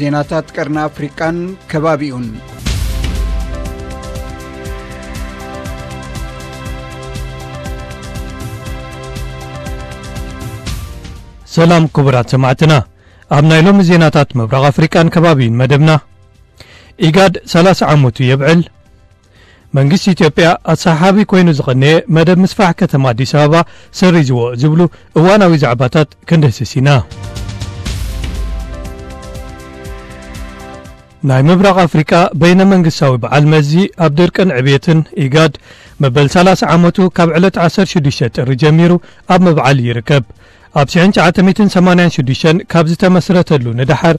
ዜናታት ቀርኒ ኣፍሪቃን ከባቢኡን። ሰላም ክቡራት ሰማዕትና፣ ኣብ ናይ ሎሚ ዜናታት ምብራቕ ኣፍሪቃን ከባቢን መደብና፣ ኢጋድ ሰላሳ ዓመቱ የብዕል፣ መንግስቲ ኢትዮጵያ ኣሰሓሓቢ ኮይኑ ዝቐነየ መደብ ምስፋሕ ከተማ ኣዲስ ኣበባ ሰሪዝዎ ዝብሉ እዋናዊ ዛዕባታት ክንድህስስ ኢና። ናይ ምብራቕ ኣፍሪቃ በይነ መንግስታዊ በዓል መዚ ኣብ ድርቅን ዕብየትን፣ ኢጋድ፣ መበል ሰላሳ ዓመቱ ካብ ዕለት ዓሰርተ ሽዱሽተ ጥሪ ጀሚሩ ኣብ ምብዓል ይርከብ። ኣብ ሽሕን ትሽዓተ ሚእትን ሰማንያን ሽዱሽተን ካብ ዝተመስረተሉ ንደሓር፣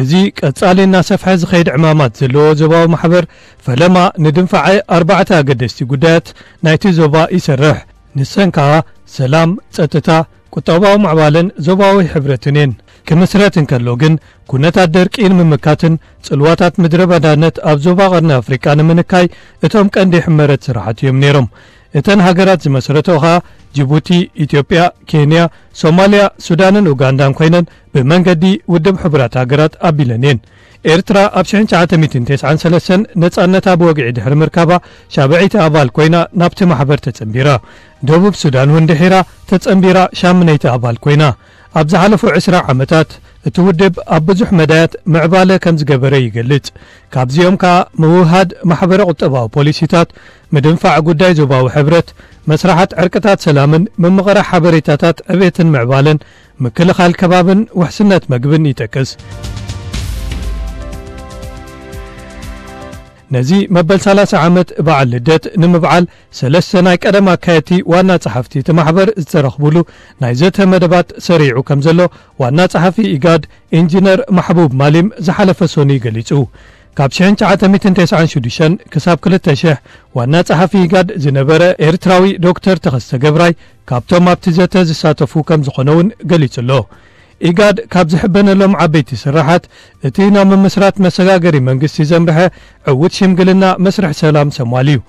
እዚ ቀጻሊ እናሰፍሐ ዝኸይድ ዕማማት ዘለዎ ዞባዊ ማሕበር፣ ፈለማ ንድንፋዐ ኣርባዕተ ኣገደስቲ ጉዳያት ናይቲ ዞባ ይሰርሕ። ንሰን ከኣ ሰላም፣ ጸጥታ፣ ቁጠባዊ ምዕባለን ዞባዊ ሕብረትን እየን። ክምስረት እንከሎ ግን፣ ኩነታት ደርቂ ንምምካትን ጽልዋታት ምድረ በዳነት ኣብ ዞባ ቀርኒ ኣፍሪቃ ንምንካይ እቶም ቀንዲ ሕመረት ስራሓት እዮም ነይሮም። እተን ሃገራት ዝመስረቶ ኸኣ ጅቡቲ፣ ኢትዮጵያ፣ ኬንያ፣ ሶማልያ፣ ሱዳንን ኡጋንዳን ኮይነን ብመንገዲ ውድብ ሕቡራት ሃገራት ኣቢለን እየን። ኤርትራ ኣብ ሽሕን ትሽዓተ ሚእትን ተስዓን ሰለስተን ነጻነታ ብወግዒ ድሕሪ ምርካባ፣ ሻብዐይቲ ኣባል ኮይና ናብቲ ማሕበር ተጸንቢራ። ደቡብ ሱዳን እውን ድሒራ ተጸንቢራ ሻምነይቲ ኣባል ኮይና። ኣብ ዝሓለፉ ዕስራ ዓመታት፣ እቲ ውድብ ኣብ ብዙሕ መዳያት ምዕባለ ከም ዝገበረ ይገልጽ። ካብዚኦም ከኣ ምውህሃድ ማሕበረ ቁጠባዊ ፖሊሲታት፣ ምድንፋዕ ጉዳይ ዞባዊ ሕብረት፣ መስራሓት ዕርቅታት ሰላምን ምምቕራሕ ሓበሬታታት ዕቤትን ምዕባለን፣ ምክልኻል ከባብን ውሕስነት መግብን ይጠቅስ። ነዚ መበል ሰላሳ ዓመት በዓል ልደት ንምብዓል፣ ሰለስተ ናይ ቀደም ኣካየድቲ ዋና ጸሓፍቲ እቲ ማሕበር ዝተረኽቡሉ ናይ ዘተ መደባት ሰሪዑ ከም ዘሎ፣ ዋና ጸሓፊ ኢጋድ ኢንጂነር ማሕቡብ ማሊም ዝሓለፈ ሰኑይ ገሊጹ። ካብ ሽሕን ትሽዓተ ሚእትን ተስዓን ሽዱሽተን ክሳብ ክልተ ሽሕ ዋና ጸሓፊ ኢጋድ ዝነበረ ኤርትራዊ ዶክተር ተኸስተ ገብራይ፣ ካብቶም ኣብቲ ዘተ ዝሳተፉ ከም ዝኾነ እውን ገሊጹ ኣሎ። ኢጋድ ካብ ዝሕበነሎም ዓበይቲ ስራሓት፣ እቲ ናብ ምምስራት መሰጋገሪ መንግስቲ ዘምርሐ ዕዉት ሽምግልና መስርሕ ሰላም ሶማል እዩ።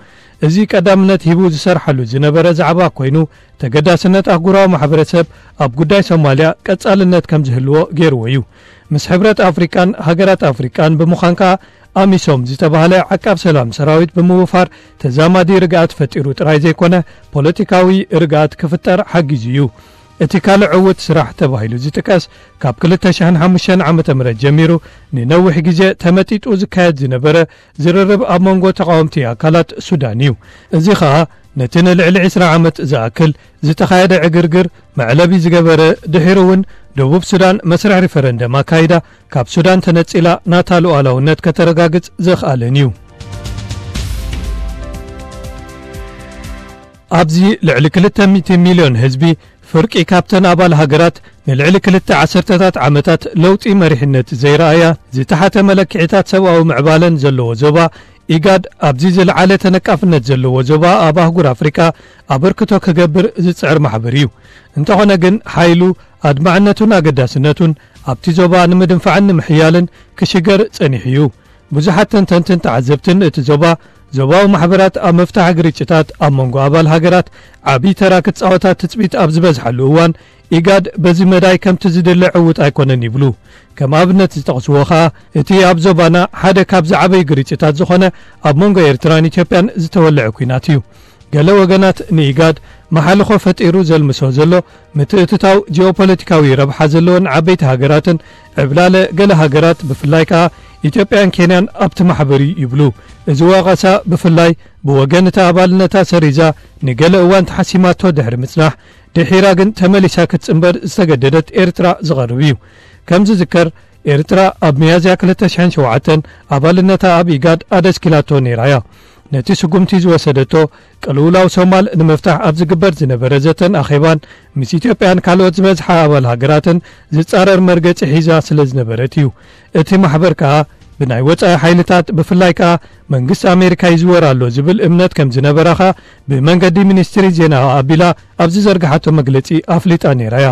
እዚ ቀዳምነት ሂቡ ዝሰርሓሉ ዝነበረ ዛዕባ ኮይኑ፣ ተገዳስነት ኣህጉራዊ ማሕበረሰብ ኣብ ጉዳይ ሶማልያ ቀጻልነት ከም ዝህልዎ ገይርዎ እዩ። ምስ ሕብረት ኣፍሪቃን ሃገራት ኣፍሪቃን ብምዃን ከኣ፣ ኣሚሶም ዝተባህለ ዓቃብ ሰላም ሰራዊት ብምውፋር ተዛማዲ ርግኣት ፈጢሩ ጥራይ ዘይኮነ፣ ፖለቲካዊ ርግኣት ክፍጠር ሓጊዙ እዩ። እቲ ካልእ ዕዉት ስራሕ ተባሂሉ ዝጥቀስ፣ ካብ ክልተ ሽሕን ሓሙሽተን ዓመተ ምህረት ጀሚሩ ንነዊሕ ግዜ ተመጢጡ ዝካየድ ዝነበረ ዝርርብ ኣብ መንጎ ተቓወምቲ ኣካላት ሱዳን እዩ። እዚ ኸኣ ነቲ ንልዕሊ ዕስራ ዓመት ዝኣክል ዝተኻየደ ዕግርግር መዕለቢ ዝገበረ፣ ድሒሩ እውን ደቡብ ሱዳን መስርሕ ሪፈረንደም ኣካይዳ ካብ ሱዳን ተነጺላ ናታ ሉዓላውነት ከተረጋግጽ ዘኽኣለን እዩ። ኣብዚ ልዕሊ ክልተ ሚእቲ ሚልዮን ህዝቢ፣ ፍርቂ ካብተን ኣባል ሃገራት፣ ንልዕሊ ክልተ ዓሰርተታት ዓመታት ለውጢ መሪሕነት ዘይረኣያ፣ ዝተሓተ መለክዒታት ሰብኣዊ ምዕባለን ዘለዎ ዞባ፣ ኢጋድ ኣብዚ ዝለዓለ ተነቃፍነት ዘለዎ ዞባ ኣብ ኣህጉር ኣፍሪቃ ኣበርክቶ ክገብር ዝጽዕር ማሕበር እዩ። እንተኾነ ግን፣ ሓይሉ፣ ኣድማዕነቱን ኣገዳስነቱን ኣብቲ ዞባ ንምድንፋዕን ንምሕያልን ክሽገር ጸኒሑ እዩ። ብዙሓት ተንተንትን ተዓዘብትን፣ እቲ ዞባ፣ ዞባዊ ማሕበራት ኣብ ምፍታሕ ግርጭታት ኣብ መንጎ ኣባል ሃገራት ዓቢ ተራ ክጻወታ ትጽቢት ኣብ ዝበዝሓሉ እዋን፣ ኢጋድ በዚ መዳይ ከምቲ ዝድለ ዕዉት ኣይኮነን ይብሉ። ከም ኣብነት ዝጠቕስዎ ኸኣ፣ እቲ ኣብ ዞባና ሓደ ካብ ዝዓበዩ ግርጭታት ዝኾነ ኣብ መንጎ ኤርትራን ኢትዮጵያን ዝተወልዐ ኲናት እዩ። ገለ ወገናት ንኢጋድ መሓልኾ ፈጢሩ ዘልምሶ ዘሎ፣ ምትእትታው ጂኦፖለቲካዊ ረብሓ ዘለወን ዓበይቲ ሃገራትን ዕብላለ ገለ ሃገራት፣ ብፍላይ ከኣ ኢትዮጵያን ኬንያን ኣብቲ ማሕበር እዩ ይብሉ። እዚ ወቐሳ ብፍላይ ብወገን እታ ኣባልነታ ሰሪዛ ንገለ እዋን ተሓሲማቶ ድሕሪ ምጽናሕ፣ ድሒራ ግን ተመሊሳ ክትጽንበር ዝተገደደት ኤርትራ ዝቐርብ እዩ። ከም ዝዝከር፣ ኤርትራ ኣብ ሚያዝያ ክልተ ሽሕን ሸውዓተን ኣባልነታ ኣብ ኢጋድ ኣደስኪላቶ ነይራ እያ። ነቲ ስጉምቲ ዝወሰደቶ፣ ቅልውላው ሶማል ንምፍታሕ ኣብ ዝግበር ዝነበረ ዘተን ኣኼባን፣ ምስ ኢትዮጵያን ካልኦት ዝበዝሓ ኣባል ሃገራትን ዝጻረር መርገጺ ሒዛ ስለ ዝነበረት እዩ። እቲ ማሕበር ከኣ፣ ብናይ ወጻኢ ሓይልታት፣ ብፍላይ ከኣ መንግስቲ ኣሜሪካ ይዝወር ኣሎ ዝብል እምነት ከም ዝነበራ ከኣ፣ ብመንገዲ ሚኒስትሪ ዜና ኣቢላ ኣብ ዝዘርግሓቶ መግለጺ ኣፍሊጣ ነይራ እያ።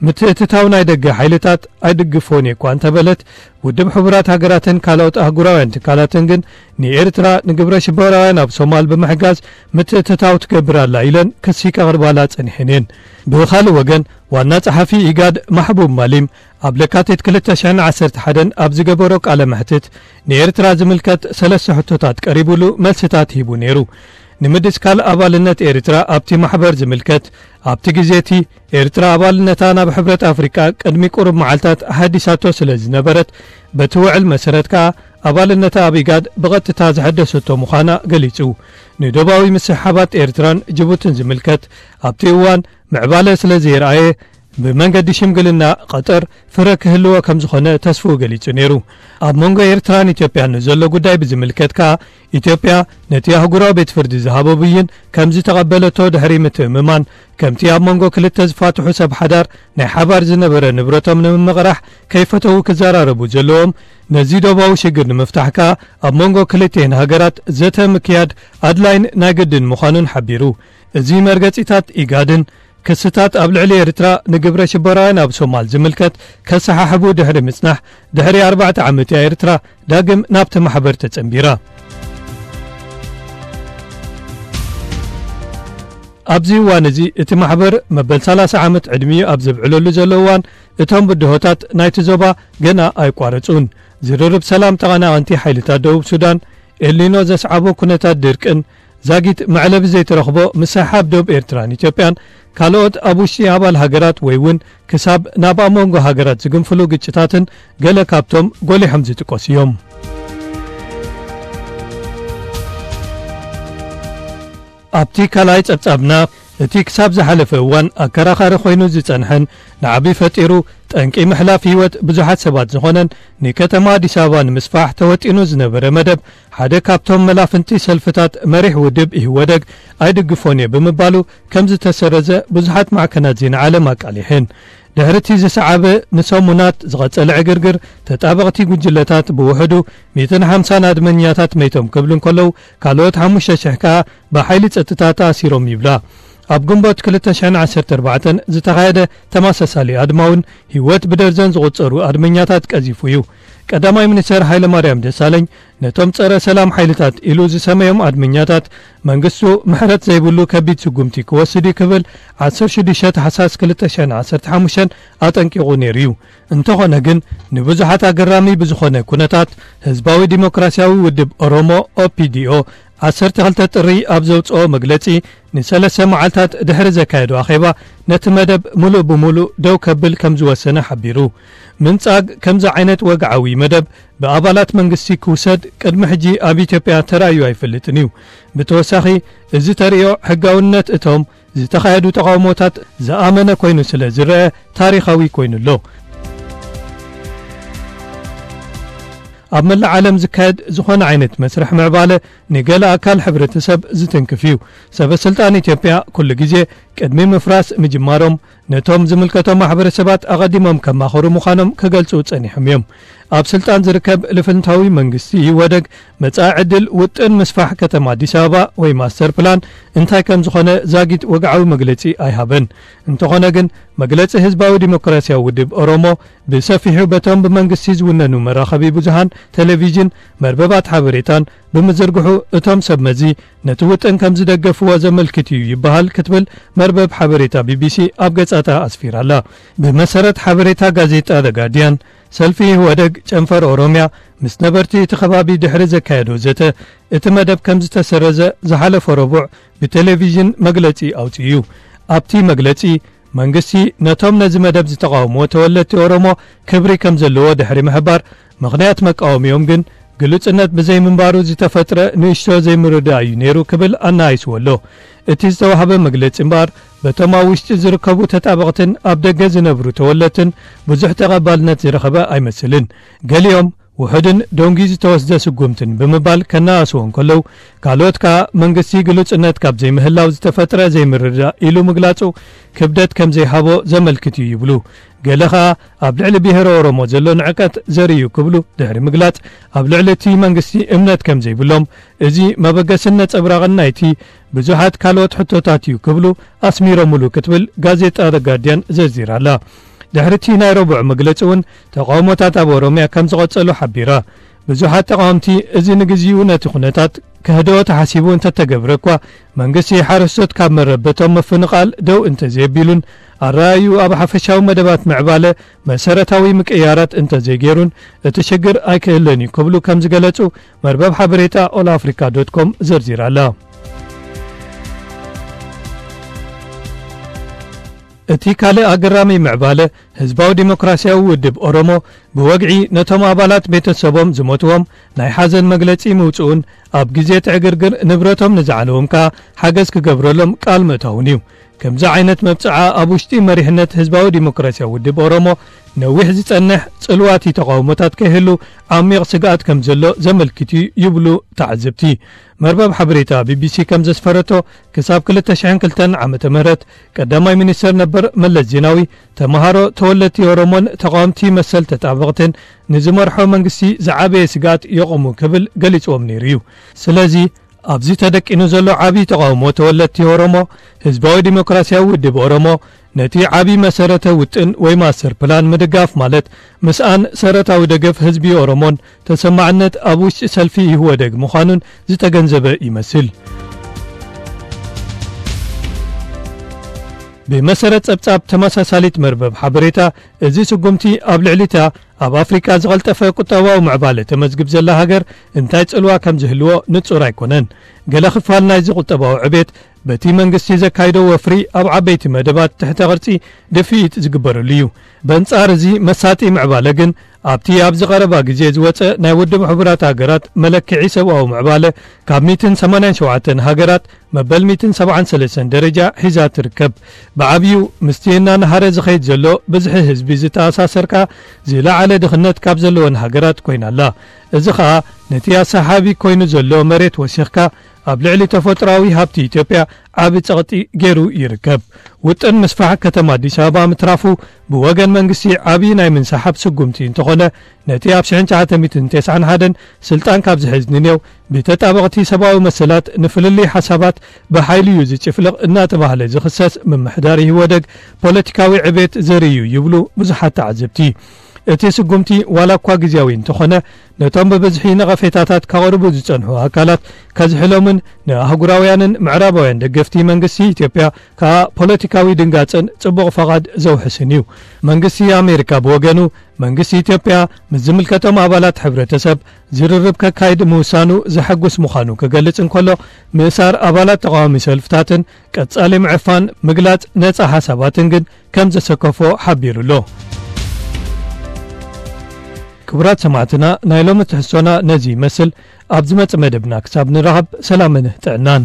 ምትእትታው ናይ ደገ ሓይልታት ኣይድግፎን እየ እኳ እንተበለት፣ ውድብ ሕቡራት ሃገራትን ካልኦት ኣህጉራውያን ትካላትን ግን፣ ንኤርትራ ንግብረ ሽበራውያን ኣብ ሶማል ብምሕጋዝ ምትእትታው ትገብር ኣላ ኢለን ክሲ ከቕርባላ ጸኒሐን እየን። ብኻልእ ወገን፣ ዋና ጸሓፊ ኢጋድ ማሕቡብ ማሊም፣ ኣብ ለካቲት ክልተ ሽሕን ዓሰርተ ሓደን ኣብ ዝገበሮ ቃለ መሕትት፣ ንኤርትራ ዝምልከት ሰለስተ ሕቶታት ቀሪቡሉ መልስታት ሂቡ ነይሩ። ንምድስካል ኣባልነት ኤርትራ ኣብቲ ማሕበር ዝምልከት፣ ኣብቲ ግዜ እቲ ኤርትራ ኣባልነታ ናብ ሕብረት ኣፍሪቃ ቅድሚ ቁሩብ መዓልታት ኣሃዲሳቶ ስለ ዝነበረት፣ በቲ ውዕል መሰረት ከኣ ኣባልነታ ኣብ ኢጋድ ብቐጥታ ዝሐደሰቶ ምዃና ገሊጹ። ንዶባዊ ምስሕሓባት ኤርትራን ጅቡትን ዝምልከት፣ ኣብቲ እዋን ምዕባለ ስለ ዘየርኣየ፣ ብመንገዲ ሽምግልና ቀጠር ፍረ ክህልዎ ከም ዝኾነ ተስፍኡ ገሊጹ ነይሩ። ኣብ መንጎ ኤርትራን ኢትዮጵያን ንዘሎ ጉዳይ ብዝምልከት ከኣ፣ ኢትዮጵያ ነቲ ኣህጉራዊ ቤት ፍርዲ ዝሃቦ ብይን ከም ዝተቐበለቶ ድሕሪ ምትእምማን፣ ከምቲ ኣብ መንጎ ክልተ ዝፋትሑ ሰብ ሓዳር ናይ ሓባር ዝነበረ ንብረቶም ንምምቕራሕ ከይፈተዉ ክዘራረቡ ዘለዎም፣ ነዚ ዶባዊ ሽግር ንምፍታሕ ከኣ ኣብ መንጎ ክልቲኤን ሃገራት ዘተ ምክያድ ኣድላይን ናይ ግድን ምዃኑን ሓቢሩ። እዚ መርገጺታት ኢጋድን ክስታት ኣብ ልዕሊ ኤርትራ ንግብረ ሽበራውያን ኣብ ሶማል ዝምልከት ከሰሓሕቡ ድሕሪ ምጽናሕ፣ ድሕሪ ኣርባዕተ ዓመት እያ ኤርትራ ዳግም ናብቲ ማሕበር ተጸንቢራ። ኣብዚ እዋን እዚ እቲ ማሕበር መበል ሰላሳ ዓመት ዕድሚኡ ኣብ ዘብዕለሉ ዘሎ እዋን፣ እቶም ብድሆታት ናይቲ ዞባ ገና ኣይቋረጹን። ዝርርብ ሰላም ተቐናቐንቲ ሓይልታት ደቡብ ሱዳን፣ ኤልኒኖ ዘስዓቦ ኩነታት ድርቅን ዛጊት መዕለቢ ዘይትረኽቦ ምስሕሓብ ዶብ ኤርትራን ኢትዮጵያን ካልኦት ኣብ ውሽጢ ኣባል ሃገራት ወይ እውን ክሳብ ናብ ኣብ መንጎ ሃገራት ዝግንፍሉ ግጭታትን ገለ ካብቶም ጎሊሖም ዝጥቀሱ እዮም። ኣብቲ ካልኣይ ጸብጻብና፣ እቲ ክሳብ ዝሓለፈ እዋን ኣከራኻሪ ኮይኑ ዝጸንሐን ንዓቢ ፈጢሩ ጠንቂ ምሕላፍ ህይወት ብዙሓት ሰባት ዝኾነን ንከተማ ኣዲስ ኣበባ ንምስፋሕ ተወጢኑ ዝነበረ መደብ፣ ሓደ ካብቶም መላፍንቲ ሰልፍታት መሪሕ ውድብ ኢህወደግ ኣይድግፎን እየ ብምባሉ ከም ዝተሰረዘ ብዙሓት ማዕከናት ዜና ዓለም ኣቃሊሐን። ድሕሪ እቲ ዝሰዓበ ንሰሙናት ዝቐጸለ ዕግርግር፣ ተጣበቕቲ ጉጅለታት ብውሕዱ ሚእትን ሓምሳን ኣድመኛታት መይቶም ክብሉ እንከለዉ፣ ካልኦት ሓሙሽተ ሽሕ ከኣ ብሓይሊ ጸጥታ ተኣሲሮም ይብላ። ኣብ ግንቦት ክልተ ሽሕን ዓሰርተ ኣርባዕተን ዝተኻየደ ተመሳሳሊ ኣድማ እውን ህይወት ብደርዘን ዝቑጸሩ ኣድመኛታት ቀዚፉ እዩ። ቀዳማይ ሚኒስተር ሃይለማርያም ደሳለኝ ነቶም ጸረ ሰላም ሓይልታት ኢሉ ዝሰመዮም ኣድመኛታት መንግስቱ ምሕረት ዘይብሉ ከቢድ ስጉምቲ ክወስድ እዩ ክብል ዓሰርተ ሽዱሽተ ታሕሳስ ክልተ ሽሕን ዓሰርተ ሓሙሽተን ኣጠንቂቑ ነይሩ እዩ። እንተኾነ ግን፣ ንብዙሓት ኣገራሚ ብዝኾነ ኩነታት፣ ህዝባዊ ዲሞክራሲያዊ ውድብ ኦሮሞ፣ ኦፒዲኦ፣ ዓሰርተ ክልተ ጥሪ ኣብ ዘውጽኦ መግለጺ፣ ንሰለስተ መዓልታት ድሕሪ ዘካየዶ ኣኼባ፣ ነቲ መደብ ምሉእ ብምሉእ ደው ከብል ከም ዝወሰነ ሓቢሩ። ምንጻግ ከምዚ ዓይነት ወግዓዊ መደብ ብኣባላት መንግስቲ ክውሰድ ቅድሚ ሕጂ ኣብ ኢትዮጵያ ተራእዩ ኣይፈልጥን እዩ። ብተወሳኺ፣ እዚ ተርእዮ ሕጋውነት እቶም ዝተኻየዱ ተቓውሞታት ዝኣመነ ኮይኑ ስለ ዝረአ፣ ታሪኻዊ ኮይኑ ኣሎ። ኣብ መላእ ዓለም ዝካየድ ዝኾነ ዓይነት መስርሕ ምዕባለ፣ ንገለ ኣካል ሕብረተሰብ ዝትንክፍ እዩ። ሰበ ስልጣን ኢትዮጵያ ኩሉ ግዜ ቅድሚ ምፍራስ ምጅማሮም፣ ነቶም ዝምልከቶም ማሕበረሰባት ኣቐዲሞም ከማኽሩ ምዃኖም ክገልጹ ጸኒሖም እዮም። ኣብ ስልጣን ዝርከብ ልፍንታዊ መንግስቲ ኢህወደግ፣ መጻኢ ዕድል ውጥን ምስፋሕ ከተማ ኣዲስ ኣበባ ወይ ማስተር ፕላን እንታይ ከም ዝኾነ ዛጊት ወግዓዊ መግለጺ ኣይሃበን። እንተኾነ ግን፣ መግለጺ ህዝባዊ ዲሞክራሲያዊ ውድብ ኦሮሞ፣ ብሰፊሑ በቶም ብመንግስቲ ዝውነኑ መራኸቢ ብዙሃን፣ ቴሌቪዥን፣ መርበባት ሓበሬታን ብምዝርግሑ፣ እቶም ሰብ መዚ ነቲ ውጥን ከም ዝደገፍዎ ዘመልክት እዩ ይበሃል ክትብል መርበብ ሓበሬታ ቢቢሲ ኣብ ገጻታ ኣስፊራ'ላ። ብመሰረት ሓበሬታ ጋዜጣ ዘ ጋርዲያን፣ ሰልፊ ኢህወደግ ጨንፈር ኦሮምያ ምስ ነበርቲ እቲ ከባቢ ድሕሪ ዘካየዶ ዘተ፣ እቲ መደብ ከም ዝተሰረዘ ዝሓለፈ ረቡዕ ብቴሌቪዥን መግለጺ ኣውጺኡ እዩ። ኣብቲ መግለጺ፣ መንግስቲ ነቶም ነዚ መደብ ዝተቓወምዎ ተወለድቲ ኦሮሞ ክብሪ ከም ዘለዎ ድሕሪ ምሕባር፣ ምኽንያት መቃወሚኦም ግን ግሉጽነት ብዘይምንባሩ ዝተፈጥረ ንእሽቶ ዘይምርድዳእ እዩ ነይሩ ክብል ኣነኣኢስዎ ኣሎ። እቲ ዝተዋህበ መግለጺ እምበኣር፣ በቶም ኣብ ውሽጢ ዝርከቡ ተጣበቕትን ኣብ ደገ ዝነብሩ ተወለድትን ብዙሕ ተቐባልነት ዝረኸበ ኣይመስልን። ገሊኦም፣ ውሑድን ደንጉዩ ዝተወስደ ስጉምትን ብምባል ከነኣእስዎ እንከለዉ፣ ካልኦት ከኣ መንግስቲ ግሉጽነት ካብ ዘይምህላው ዝተፈጥረ ዘይምርድዳእ ኢሉ ምግላጹ ክብደት ከም ዘይሃቦ ዘመልክት እዩ ይብሉ። ገለ ከኣ ኣብ ልዕሊ ብሄረ ኦሮሞ ዘሎ ንዕቀት ዘርኢ እዩ ክብሉ ድሕሪ ምግላጽ፣ ኣብ ልዕሊ እቲ መንግስቲ እምነት ከም ዘይብሎም፣ እዚ መበገስን ነጸብራቕን ናይቲ ብዙሓት ካልኦት ሕቶታት እዩ ክብሉ ኣስሚሮምሉ ክትብል ጋዜጣ ዘ ጋርዲያን ዘርዚራ ኣላ። ድሕሪ እቲ ናይ ረቡዕ መግለጺ እውን ተቓውሞታት ኣብ ኦሮምያ ከም ዝቐጸሉ ሓቢራ። ብዙሓት ተቓወምቲ እዚ ንግዚኡ ነቲ ኩነታት ክህደኦ ተሓሲቡ እንተተገብረ እኳ፣ መንግስቲ ሓረስቶት ካብ መረበቶም ምፍንቓል ደው እንተዘየቢሉን ኣረኣዩ ኣብ ሓፈሻዊ መደባት ምዕባለ መሰረታዊ ምቅያራት እንተዘይገይሩን እቲ ሽግር ኣይክህለን እዩ ክብሉ ከም ዝገለጹ መርበብ ሓበሬታ ኦል ኣፍሪካ ዶት ኮም ዘርዚራ ኣላ። እቲ ካልእ ኣገራሚ ምዕባለ ህዝባዊ ዲሞክራሲያዊ ውድብ ኦሮሞ ብወግዒ ነቶም ኣባላት ቤተሰቦም ዝሞትዎም ናይ ሓዘን መግለጺ ምውጽኡን ኣብ ግዜ ትዕግርግር ንብረቶም ንዝዓነዎም ከኣ ሓገዝ ክገብረሎም ቃል ምእታውን እዩ። ከምዚ ዓይነት መብጽዓ ኣብ ውሽጢ መሪሕነት ህዝባዊ ዲሞክራሲያዊ ውድብ ኦሮሞ ነዊሕ ዝጸንሕ ጽልዋቲ ተቃውሞታት ከይህሉ ዓሚቕ ስግኣት ከም ዘሎ ዘመልክት እዩ ይብሉ ተዓዘብቲ። መርበብ ሓበሬታ ቢቢሲ ከም ዘስፈረቶ ክሳብ ክልተ ሽሕን ክልተን ዓመተ ምህረት ቀዳማይ ሚኒስተር ነበር መለስ ዜናዊ ተምሃሮ ተወለድቲ ኦሮሞን ተቃወምቲ መሰል ተጣበቕትን ንዝመርሖ መንግስቲ ዝዓበየ ስግኣት የቑሙ ክብል ገሊጽዎም ነይሩ እዩ። ስለዚ ኣብዚ ተደቂኑ ዘሎ ዓቢ ተቃውሞ ተወለድቲ ኦሮሞ ህዝባዊ ዲሞክራሲያዊ ውድብ ኦሮሞ ነቲ ዓቢ መሰረተ ውጥን ወይ ማስተር ፕላን ምድጋፍ ማለት ምስኣን ሰረታዊ ደገፍ ህዝቢ ኦሮሞን ተሰማዕነት ኣብ ውሽጢ ሰልፊ ኢህወደግ ምዃኑን ዝተገንዘበ ይመስል። ብመሰረት ጸብጻብ ተመሳሳሊት መርበብ ሓበሬታ፣ እዚ ስጉምቲ ኣብ ልዕሊታ ኣብ ኣፍሪቃ ዝቐልጠፈ ቁጠባዊ ምዕባለ ተመዝግብ ዘላ ሃገር እንታይ ጽልዋ ከም ዝህልዎ ንጹር ኣይኮነን። ገለ ክፋል ናይዚ ቁጠባዊ ዕቤት በቲ መንግስቲ ዘካይዶ ወፍሪ ኣብ ዓበይቲ መደባት ትሕተ ቅርጺ ድፍኢት ዝግበረሉ እዩ። በንጻር እዚ መሳጢ ምዕባለ ግን ኣብቲ ኣብዚ ቀረባ ግዜ ዝወጸ ናይ ውድብ ሕቡራት ሃገራት መለክዒ ሰብኣዊ ምዕባለ ካብ ሚእትን ሰማንያን ሸውዓተን ሃገራት መበል ሚእትን ሰብዓን ሰለስተን ደረጃ ሒዛ ትርከብ። ብዓብዩ ምስቲ እናነሃረ ዝኸይድ ዘሎ ብዝሒ ህዝቢ ዝተኣሳሰርካ ዝለዓለ ድኽነት ካብ ዘለወን ሃገራት ኮይና ኣላ። እዚ ኸኣ ነቲ ኣሰሓቢ ኮይኑ ዘሎ መሬት ወሲኽካ ኣብ ልዕሊ ተፈጥሮኣዊ ሃብቲ ኢትዮጵያ ዓቢ ጸቕጢ ገይሩ ይርከብ። ውጥን ምስፋሕ ከተማ ኣዲስ ኣበባ ምትራፉ ብወገን መንግስቲ ዓቢ ናይ ምንሳሓብ ስጉምቲ እንተኾነ፣ ነቲ ኣብ ሽሕን ትሽዓተ ሚእትን ተስዓን ሓደን ስልጣን ካብ ዝሕዝ ንኔው ብተጣበቕቲ ሰብኣዊ መሰላት ንፍልልይ ሓሳባት ብሓይሊ እዩ ዝጭፍልቕ እናተባህለ ዝኽሰስ ምምሕዳር ኢህወደግ ፖለቲካዊ ዕቤት ዘርኢ እዩ ይብሉ ብዙሓት ተዓዘብቲ። እቲ ስጉምቲ ዋላ እኳ ግዜያዊ እንተኾነ፣ ነቶም ብብዝሒ ነቐፌታታት ካቕርቡ ዝጸንሑ ኣካላት ከዝሕሎምን ንኣህጉራውያንን ምዕራባውያን ደገፍቲ መንግስቲ ኢትዮጵያ ከኣ ፖለቲካዊ ድንጋጸን ጽቡቕ ፈቓድ ዘውሕስን እዩ። መንግስቲ ኣሜሪካ ብወገኑ፣ መንግስቲ ኢትዮጵያ ምስ ዝምልከቶም ኣባላት ሕብረተሰብ ዝርርብ ከካይድ ምውሳኑ ዘሐጉስ ምዃኑ ክገልጽ እንከሎ፣ ምእሳር ኣባላት ተቃዋሚ ሰልፍታትን ቀጻሊ ምዕፋን ምግላጽ ነጻ ሓሳባትን ግን ከም ዘሰከፎ ሓቢሩ ኣሎ። ክቡራት ሰማዕትና፣ ናይ ሎሚ ትሕዝቶና ነዚ ይመስል። ኣብ ዝመጽእ መደብና ክሳብ ንራኸብ፣ ሰላምን ጥዕናን።